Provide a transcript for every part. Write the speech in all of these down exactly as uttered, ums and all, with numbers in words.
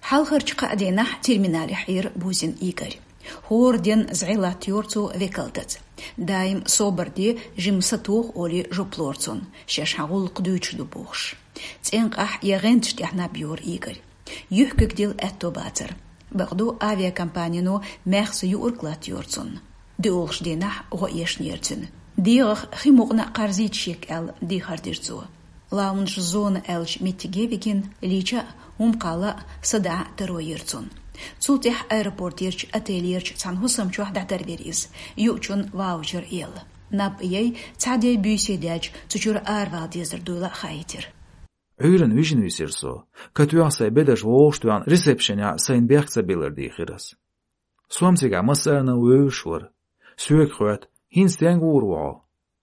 Хьалхарчу кхаа дийнахь терминалехь Ӏийра Бузин Игорь. ХӀора дийнахь зӀе латтайора цо векалдаза. Даим собар де, жимма сатоха олий жоп лора цунна, шаьш хьан гӀуллакх дуьйцуш ду бохуш. ЦӀенкъахь я гӀенташ тӀехь наб йора Игорь. Юьхкиг дилла аьтто бацара. Бакъду, авиакомпанино маьхза юург латтайора цунна. ДоьалгӀачу дийнахь гӀо эшнера цуьнан. ДегӀах хи мукъана а кхарзийта шега аьлла, дехар дира цо. Лаунж-зона аьллачу меттиге вигина, лийча а, хӀума кхалла а, садаӀа а таро йира цунна. Цул тӀаьхьа аэропортерчу отелерчу цхьана хӀусам чохь дӀатарвира иза, юучунна ваучер елла. Наб а яй, цхьа де-буьйса даьлча, цу чуьра аравала дезар дуйла а хаийтира. Ӏуьйранна вижина висира со. Катоьхна сайн бедарш вовшах тоьхна, ресепшенехь сайна бехк ца биллар дийхира ас. Со-м цигахь массарна а вевзаш вара. Соьга хоьтту: «ХӀинца стенга гӀур ву хьо?»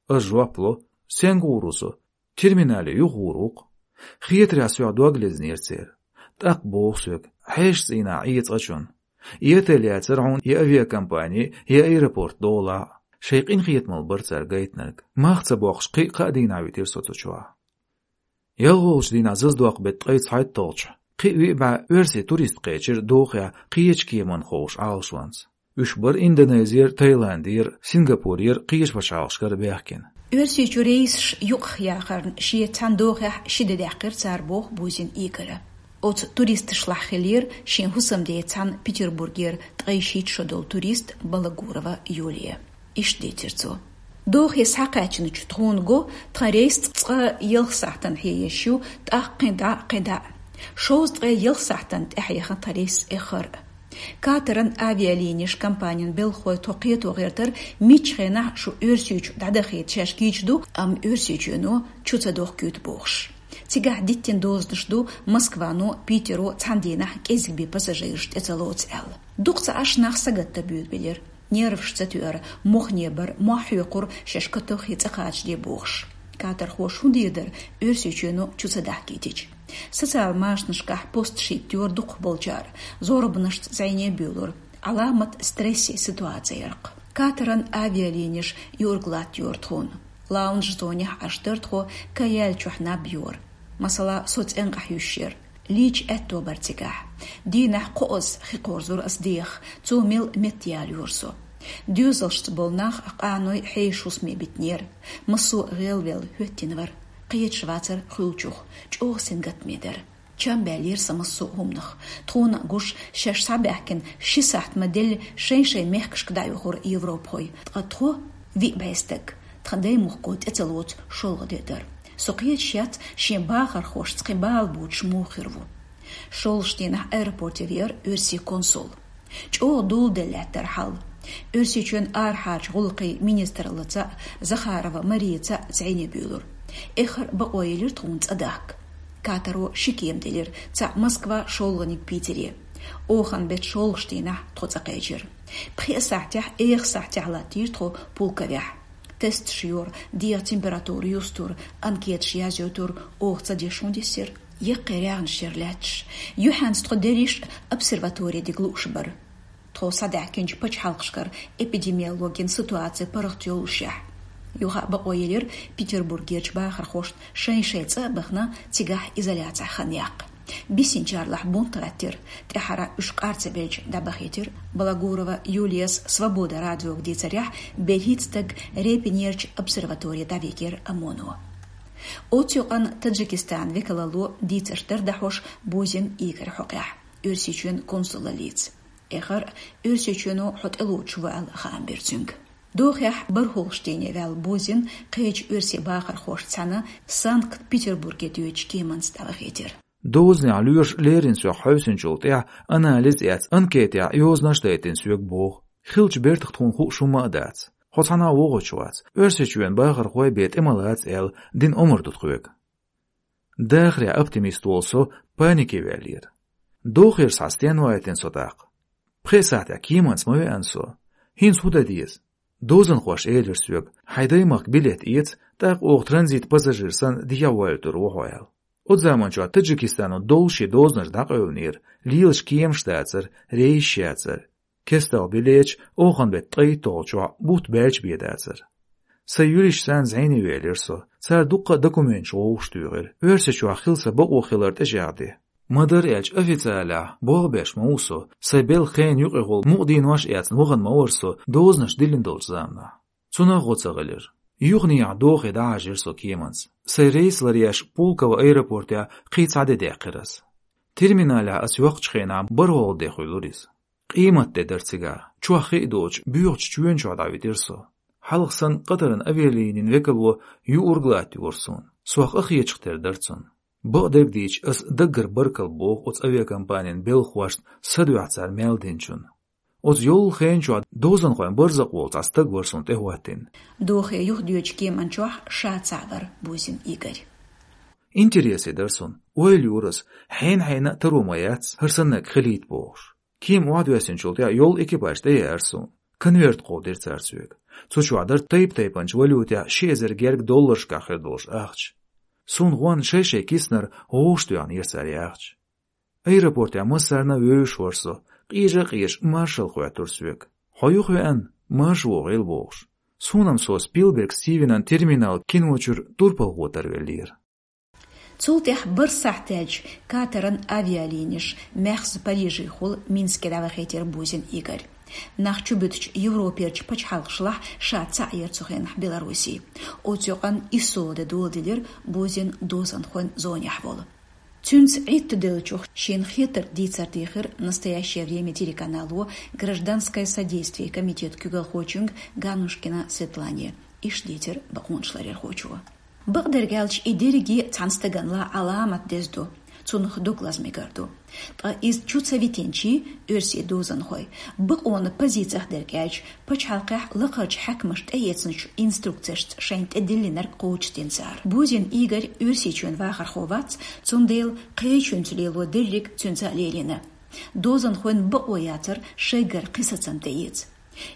Ас жоп ло: «Стенга гӀур ву со? Терминале юха гӀур ву-кх». Хетарехь соьх дог лезнера церан. ТӀаккха боху соьга: «Хьешан цӀийнахь Ӏе цкъачунна. И отель яцара хьуна, и авиакомпани, и аэропорт долахь а». Шайн къинхетамалла бара цара гайтинарг. Мах ца боккхуш, кхин а кхаа дийнахь витира со цу чохь. ЯлхолгӀачу дийнахь зазадоккху беттан ткъе цхьайтталгӀачохь кхин а виъ бӀе оьрсийн турист кхечира Дохехь кхечу кеманна ховшу Ӏалашонца. Уьш бара Индонезера, Таиландера, Сингапурера, кхечу пачхьалкхашкара баьхкина. Оьрсийчу рейсаш юкъахъяхарна шен цхьана Дохехь ши де даьккхира цара, боху Бузин Игора. Оцу туристашлахь хиллера шен хӀусамдеца цхьана Петербургера ткъе шийтта шо долу турист Балагурова Юлия. Иштта дийцира цо: «Дохе схьакхаьчначу тхуна го, тхан рейс цкъа ялх сахьтана хьееш ю, тӀаккха кхин дӀа а, кхин дӀа а. Шовзткъе ялх сахьтана тӀаьхьа яхна тхан рейс эххар а. Катаран авиалинеш компанин белхахой тхо кхето гӀертара, миччу хенахь шу Оьрсийчу дӀадахийта шаьш кийча ду, амма Оьрсийчоьно чу ца дохкуьйту бохуш. Цигахь диттина дозанаш ду Москвано, Питеро цхьана дийнахь кӀезиг бен пассажираш тӀе ца лоцу аьлла. Дукха ца Ӏаш нах сагатдан буьйлабелира. Нерваш ца тоьара, мохне бара, мохь хьоькхура шаьш катоххе цӀа кхачаде бохуш. Катархоша хӀун дийр дара, Оьрсийчоьно чу ца дахкийтича? Социал машанашкахь посташ хӀиттайора дукхахболчара, зорбанашца зӀене буьйлура. Ӏаламат стрессин ситуаци яра-кх. Катаран авиалинеш юург латтайора тхуна. Лаунж-зонехь Ӏаш дара тхо, каяьллачохь наб йора. Масала, со цӀенкъахь юьсуш яра. Лийча аьтто бара цигахь. Дийнахь кхоазза хи кхорзура ас дехах, цо мел меттаяла йора со. Доьзалшца болу нах, къаной хьешан хӀусаме битинера. Массо а гӀелвелла хӀоьттина вара. Кхеташ вацара хуьлучух, чӀогӀа сингаттаме дара. Чам баьллера сан массо а хӀуманах. Тхуна а гуш, шаьш схьабаьхкина ши сахьт ма делла, шайн-шайн мехкашка дӀаоьхура европахой. Ткъа тхо, виъ бӀе стаг, тхан даймохко тӀе ца лоцу шолгӀа де дара. Со кхеташ яц, шен бахархошца кхин бала боцуш муха хир ву. ШолгӀачу дийнахь аэропорте веара оьрсийн консул. ЧӀогӀа доладелла лаьттара хьал. Оьрсийчоьнан арахьарчу гӀуллакхийн министраллица а, Захарова Марияца а зӀене буьйлура. Эххар а бакъо елира тхуна цӀа дахка. Катаро ши кема делира, цхьаъ Москва, шолгӀаниг Питере. Оханан беттан шолгӀачу дийнахь тхо цӀа кхечира. Пхеа сахьтехь, эха сахьтехь латтийра тхо Пулковехь. Тесташ йора, дегӀан температура юстура, анкеташ язйойтура, оха ца деш хӀун дисира? Яккхий рагӀнаш яра лаьтташ. Юьхьанца тхо дерриш а обсерватори диг лууш бара, тхо схьадаьхкинчу пачхьалкхашкара эпидемиологин ситуаци паргӀат йоллушехь. Юха а бакъо елира Петербургерчу бахархошна шайн-шайн цӀа а бахана, цигахь изоляцехь хан яккха. Бисинчарлахь бунт гӀаьттира, тӀаьххьара уьш къар ца белча дӀабахийтира. Балагурова Юлияс «Свобода» радиога дийцарехь, берхӀитта стаг Репинерчу обсерватори дӀавигира ОМОНо. Оцу юкъанна Таджикистанан векалалло дийцарш дара дӀахьош Бузин Игорь хьокъехь, Оьрсийчоьнан консулаллица. Эххар а Оьрсийчоьно хьо тӀелоцуш ву аьлла хаам бира цуьнга. Дохехь бархӀолгӀачу дийне ваьлла Бузин кхечу оьрсийн бахархошца цхьаьна Санкт-Петербурге доьдучу кеманца дӀавахийтира. Дозанехь лоьраша леррина соьх хьовсинчул тӀаьхьа анализ эцна, анкетехь йозанаш а дайтина соьга боху. Хиллачу бертах тхуна хууш хӀумма а дац. Хьо цхьанхьа а вогӀуш вац. Оьрсийчоьнан бахархой бен тӀе ма лаца аьлла, дина омра ду тхоьга. Дахарехь оптимист волу со панике ваьллера. Дохера схьа стенна вайтина со тӀаккха? Пхеа сахьтехь кеманца ма веана со. ХӀинца хӀун дан деза? Дозанхоша элира соьга: «Хьайн даймахка билет эца, тӀаккха оха транзит пассажир санна дехьавойтур ву хьо», — аьлла. Оцу заманчохь Таджикистано доллушше дозанаш дӀакъевлинера, лелаш кеманаш дацара, рейсаш яцара. КесталгӀа билеташ оханан беттан ткъайтталгӀачохь бутт баьлча бен дацара. Сайн юристашца зӀене велира со. Цара дуккха а документаш вовшахтуьйхира. Оьрсийчохь хила сан бакъо хилар тӀечӀагӀде. Ма дарра аьлча, официалехь болх беш ма ву со, сайн белхан юкъехула мукъаденош эцна вахана ма вара со дозанаш диллина долчу заманахь. Цунах гӀо ца хилира. Юханехьа дохий дӀахьажийра со кеманца. Сайн рейс ларъеш Пулково аэропортехь кхин цхьа де даьккхира ас. Терминалехь ас йоккхучу хенахь бархӀалгӀа де хуьлура иза. Къематде дара цигахь, чохь хи а доцуш, боьхачу чоьна чохь дӀавитира со. Хьалха санна Катаран авиалинин векало юург латтайора суна. Сох къахеташ тера дара цунна. Бакъдерг дийча, ас даггара баркалла боху оцу авиакомпанин белхахошна, са дуьхьа цара мел динчунна. Оцу йоллу хенан чохь дозанхойн барзакъ волу цхьа стаг вара суна тӀехӀоттийна. Дохий юхадоьдучу кеманна чохь ша цхьаъ вара Бузин Игорь. Интересе дара суна, ойла йора ас, хьенан-хьенан а таро ма яц, хӀара саннарг хилийта бохуш. Кема охьадоьссинчул тӀаьхьа йолу экипаж тӀееара суна. Конверт кховдийра цара соьга. Цу чохь дара тайп-тайпанчу валютехь ши эзар гергга долларшкахь хир долуш ахча. Суна гӀонна шай-шай киснара гӀовш тоьхнера цара и ахча. Аэропортехь массарна а вевзаш вара со, къежа а къежаш, маршалла хоьттура соьга. «Хьо юхавеана, марша вогӀийла», — бохуш. Суна-м со Спилберг Стивенан «Терминал» кино чуьра турпалхо тарвеллера. Цул тӀаьхьа бархӀ сахьт даьлча Катаран авиалинеш маьхза Парижехула Минске дӀавахийтира Бузин Игорь. Нах чубуьтучу Европерчу пачхьалкхашлахь ша цхьаъ яра цу хенахь Белоруссия. Оцу юкъанна ИССО де доладелира Бузин дозанхойн зонехь волу. Цуьнца Ӏиттаделлачух шена хетарг дийцар дийхира «Настоящее время» телеканало гражданское содействие комитетан куьйгалхочуьнга Ганнушкина Светлане, иштта дийцира бакъонаш ларъярхочо. Бакъдерг аьлча, и дерриге цхьана стагана лан Ӏаламат деза ду, цунах дог лаза мегар ду. Ткъа иза чу ца витинчий, оьрсийн дозанхой, бакъонан позицех дерг аьлча, пачхьалкхехь лакхарчу хьаькамаша тӀеэцначу инструкцешца шайна тӀедиллинарг кхочушдина цара. Бузин Игорь Оьрсийчоьнан вахархо вац, цундела кхечуьнца лело дерриг цуьнца а лелийна. Дозанхойн бакъо яцара шайгара кхин сацам тӀеэца.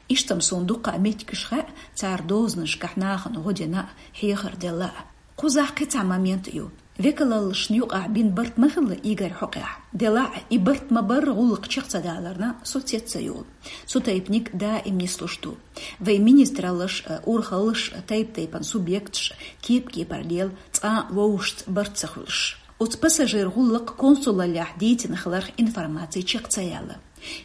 Иштта-м суна дуккха а меттигаш хаьа, цара дозанашкахь нахана гӀо дина а, хьехар делла а. Кхузахь кхин цхьа момент а ю. Векалаллашна юкъахь бина барт ма хилла Игорь хьокъехь. Делахь а, и барт ма-барра гӀуллакх чекх ца даларна, со цец ца йолу. Цу тайпаниг даим нислуш ду. Вайн министраллаш а, урхаллаш а, тайп-тайпана субъекташ а кеп-кепара лела, цкъа а вовшашца барт ца хуьлуш. Оцу пассажиран гӀуллакх консулаллехь дийцина хиларх информаци чекх ца яьлла.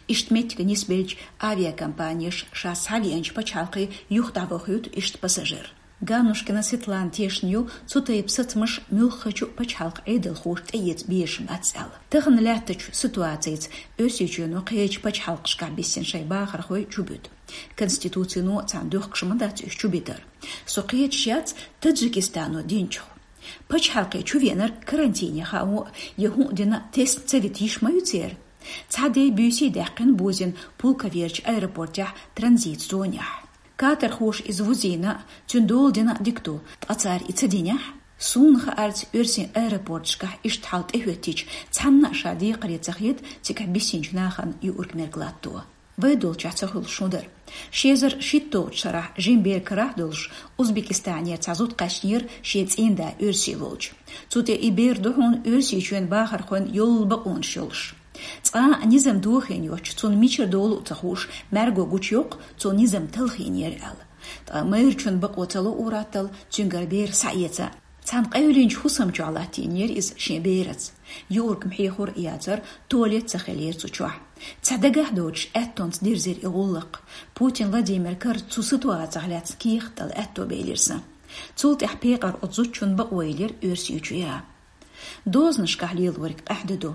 Иштта меттиг нисбелча, авиакомпанеш ша схьавеанчу пачхьалкхе юха дӀавохуьйту иштта пассажир. Ганнушкина Светлана тешна ю, цу тайпа сацамаш муьлххачу пачхьалкхан Ӏедалхоша тӀеэца безаш бац аьлла. Тахана лаьттачу ситуацица Оьрсийчоьно кхечу пачхьалкхашкахь биссина шайн бахархой чубуьту. Конституцино царна дохкуш ма дац уьш чубитар. Со кхеташ яц Таджикистано динчух. Пачхьалкхе чувеанарг карантине хаа а, я хӀун а дина, тесна ца вита йиш ма ю церан. Цхьа де-буьйса даьккхина Бузин Пулковерчу аэропортехь транзит зонехь. Катархоша иза вузийна а, цуьнан дола дина а дика ду, ткъа цара и ца динехь? Суна хаарца, оьрсийн аэропорташкахь иштта хьал тӀехӀоьттича, цхьанна а ша декхаре ца хета цигахь биссинчу нахана юург-мерг латто. Вай долчохь ца хуьлуш хӀун дара? Ши эзар шийтталгӀачу шарахь жима бер карахь долуш, Узбекистанера цхьа зуда кхаьчнера шен цӀийнда оьрсий волчу. Цу тӀе и бер ду хьуна Оьрсийчоьнан бахархойн йолу бакъонаш йолуш. Цкъа а низам дохийна йоцчу, цунна мичара долу а ца хууш, мӀаьрго гучуйоккху, цо низам талхийнера аьлла. Ткъа майрачун бакъо ца луураттал, цуьнгара бер схьаэца. Цхьана къевлинчу хӀусам чохь латтийнера иза шен бераца. Юург-м хьехор а яцара, туалет ца хилира цу чохь. Цхьа дагахь доцуш аьттонца дирзира и гӀуллакх. Путин Владимир карца цу ситуацех лаьцна кехат дала аьтто белира сан. Цул тӀаьхьа пекъар оцу зудчун бакъо йиллира Оьрсийчу яа. Дозанашкахь лелориг къаьхьа де ду.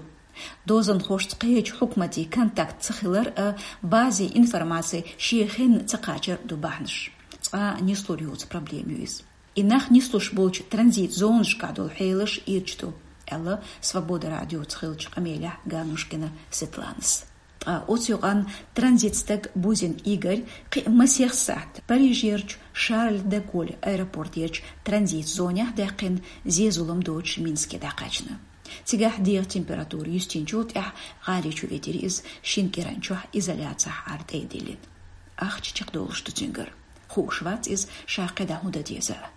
Дозанхошца кхечу хьукматийн контакт ца хилар а, базе информаци шен хенна ца кхачар а ду бахьанаш. Цкъа а нислур йоцу проблема ю иза. И нах нислуш болчу транзит зонашкахь долу хьелаш ирча ду, аьлла Свобода радиоца хиллачу къамелехь Ганнушкина Светланас. Ткъа оцу юкъанна транзит стаг Бузин Игорь кхин а масех сахьт Парижерчу Шарль де Голль аэропортерчу транзит зонехь даьккхина, зе-зулам доцуш Минске дӀакхаьчна. Цигахь дегӀан температура юьстинчул тӀаьхьа гӀали чу витира иза, шина кӀиран чохь изоляцехь Ӏар тӀе а диллина. Ахча чекхдолуш ду цуьнгара. Хууш вац иза, ша кхидӀа хӀун дан деза а.